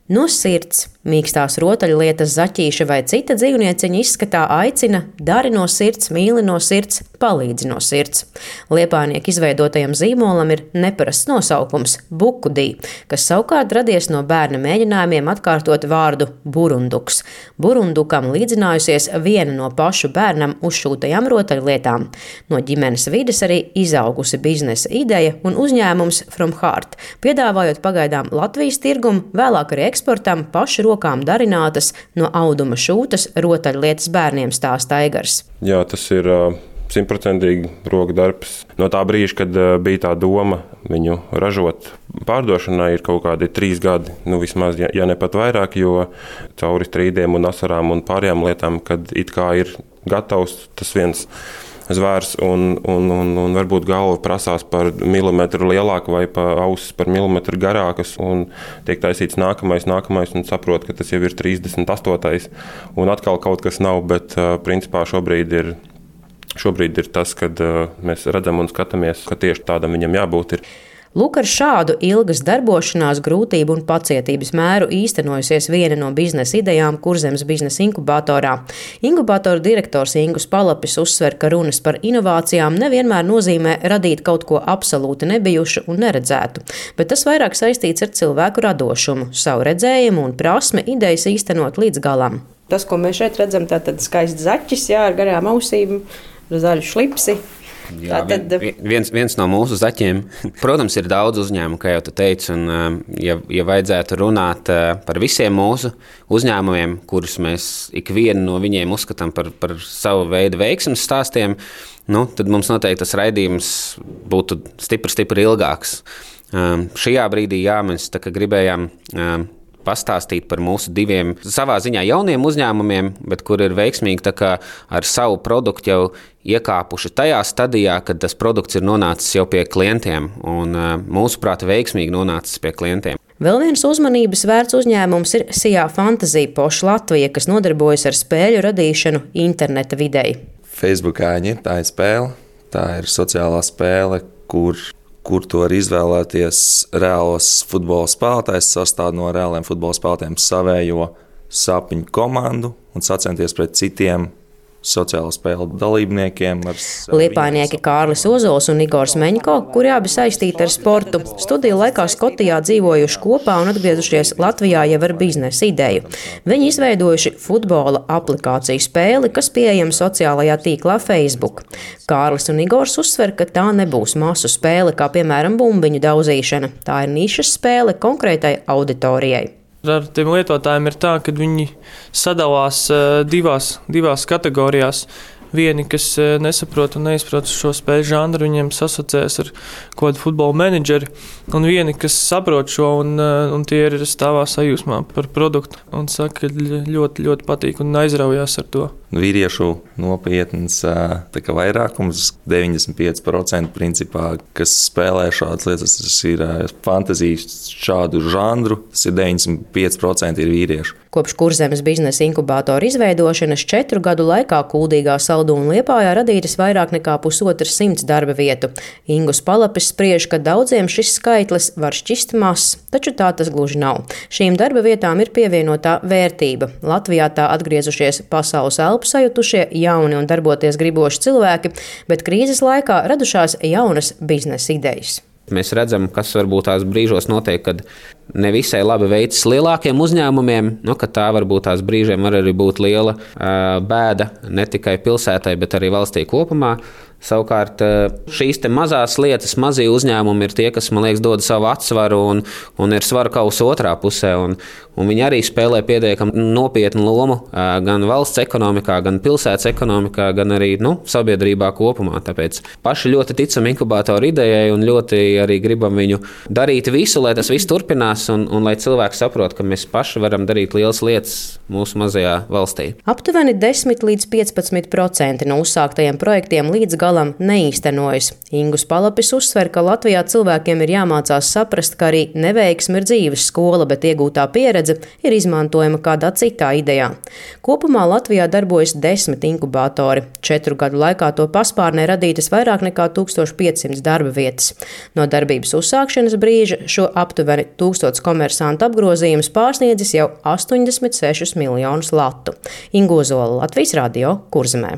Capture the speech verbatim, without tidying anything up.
No sirds. Mīkstās rotaļlietas, zaķīša vai cita dzīvnieciņa izskatā aicina, dari no sirds, mīli no sirds, palīdzi no sirds. Liepājnieku izveidotajam zīmolam ir neparasts nosaukums – Bukudī, kas savukārt radies no bērna mēģinājumiem atkārtot vārdu burunduks. Burundukam līdzinājusies viena no pašu bērnam uzšūtajām rotaļlietām. No ģimenes vides arī izaugusi biznesa ideja un uzņēmums From Heart, piedāvājot pagaidām Latvijas tirgumu, vēlāk arī eksportam pašu rokām darinātas no auduma šūtas rotaļlietas bērniem, stāsta Aigars. Jā, tas ir simtprocentīgi roka darbs. No tā brīža, kad bija tā doma viņu ražot pārdošanai, ir kaut kādi trīs gadi, nu vismaz, ja, ja ne pat vairāk, jo cauri strīdiem un asarām un pārējām lietām, kad it kā ir gatavs tas viens zvērs un, un, un, un varbūt galva prasās par milimetru lielāku vai pa ausis par milimetru garākas un tiek taisīts nākamais, nākamais un saprot, ka tas jau ir trīsdesmit astotais un atkal kaut kas nav, bet principā šobrīd ir, šobrīd ir tas, kad mēs redzam un skatāmies, ka tieši tādam viņam jābūt ir. Lūk, ar šādu ilgas darbošanās, grūtību un pacietības mēru īstenojusies viena no biznesa idejām Kurzemes biznesa inkubatorā. Inkubatora direktors Ingus Palapis uzsver, ka runas par inovācijām nevienmēr nozīmē radīt kaut ko absolūti nebijušu un neredzētu, bet tas vairāk saistīts ar cilvēku radošumu, savu redzējumu un prasmi idejas īstenot līdz galam. Tas, ko mēs šeit redzam, tātad skaists zaķis, jā, ar garām ausīm, ar zaļu šlipsi. Jā, Tātad... viens, viens no mūsu zaķiem. Protams, ir daudz uzņēmumu, kā jau tu teici, un ja, ja vajadzētu runāt par visiem mūsu uzņēmumiem, kurus mēs ikvienu no viņiem uzskatām par, par savu veidu veiksmes stāstiem, nu, tad mums noteikti tas raidījums būtu stipri, stipri ilgāks. Um, šajā brīdī, jā, mēs tā kā gribējām um, pastāstīt par mūsu diviem savā ziņā jauniem uzņēmumiem, bet kur ir veiksmīgi tā kā ar savu produktu jau iekāpuši tajā stadijā, kad tas produkts ir nonācis jau pie klientiem un mūsuprāt veiksmīgi nonācis pie klientiem. Vēl viens uzmanības vērts uzņēmums ir Sijā Fantasy Poš Latvija, kas nodarbojas ar spēļu radīšanu interneta videi. Facebookāņi, tā ir spēle, tā ir sociālā spēle, kur kur to var izvēlēties reālos futbola spēlētājs, sastāv no reāliem futbola spēlētājiem savējo sapņu komandu un sacensties pret citiem sociālo spēļu dalībniekiem. Liepājnieki Kārlis Ozols un Igors Meņko, kuri abi saistīti ar sportu, studiju laikā Skotijā dzīvojuši kopā un atgriezušies Latvijā jau ar biznesa ideju. Viņi izveidojuši futbola aplikāciju spēli, kas pieejama sociālajā tīklā Facebook. Kārlis un Igors uzsver, ka tā nebūs masu spēle, kā piemēram bumbiņu daudzīšana. Tā ir nišas spēle konkrētai auditorijai. Ar tiem lietotājiem ir tā, ka viņi sadalās divās, divās kategorijās. Vieni, kas nesaprot un neizprot šo spēļu žanru, viņiem sasociēs ar kaut kādu futbola menedžeri, un vieni, kas saprot šo un, un tie ir stāvā sajūsmā par produktu un saka, ka ļoti, ļoti patīk un aizraujās ar to. Vīriešu nopietns tā kā vairākums, deviņdesmit pieci procenti principā, kas spēlē šādas lietas, tas ir fantazijas šādu žanru, tas ir deviņdesmit pieci procenti ir vīriešu. Kopš Kurzemes biznesa inkubatora izveidošanas četru gadu laikā Kuldīgā, Saldū un Liepājā radītas vairāk nekā pusotras simts darba vietu. Ingus Palapis spriež, ka daudziem šis skaitlis var šķist mazs, taču tā tas gluži nav. Šīm darba vietām ir pievienotā vērtība. Latvijā tā atgriezušies pasaules elpu sajutušie, jauni un darboties griboši cilvēki, bet krīzes laikā radušās jaunas biznesa idejas. Mēs redzam, kas varbūt tās brīžos notiek, kad ne visai labi veicas lielākiem uzņēmumiem, nu, ka tā varbūt tās brīžiem var arī būt liela uh, bēda ne tikai pilsētai, bet arī valstī kopumā. Savukārt šīs te mazās lietas, mazie uzņēmumi ir tie, kas, man liekas, dod savu atsvaru un, un ir svaru kausa otrā pusē. Un, un viņi arī spēlē pietiekami nopietnu lomu gan valsts ekonomikā, gan pilsētas ekonomikā, gan arī nu, sabiedrībā kopumā. Tāpēc paši ļoti ticam inkubatoru idejai un ļoti arī gribam viņu darīt visu, lai tas viss turpinās un, un lai cilvēki saprot, ka mēs paši varam darīt lielas lietas mūsu mazajā valstī. Aptuveni desmit līdz piecpadsmit procenti no uzsāktajiem projektiem līdz galam galam neīstenojas. Ingus Palapis uzsver, ka Latvijā cilvēkiem ir jāmācās saprast, ka arī neveiksme ir dzīves skola, bet iegūtā pieredze ir izmantojama kādā citā idejā. Kopumā Latvijā darbojas desmit inkubatori. Četru gadu laikā to paspārnē radītas vairāk nekā tūkstoš piecsimt darba vietas. No darbības uzsākšanas brīža šo aptuveni tūkstots komersantu apgrozījums pārsniedzis jau astoņdesmit sešus miljonus latu. Inga Ozola, Latvijas radio, Kurzemē.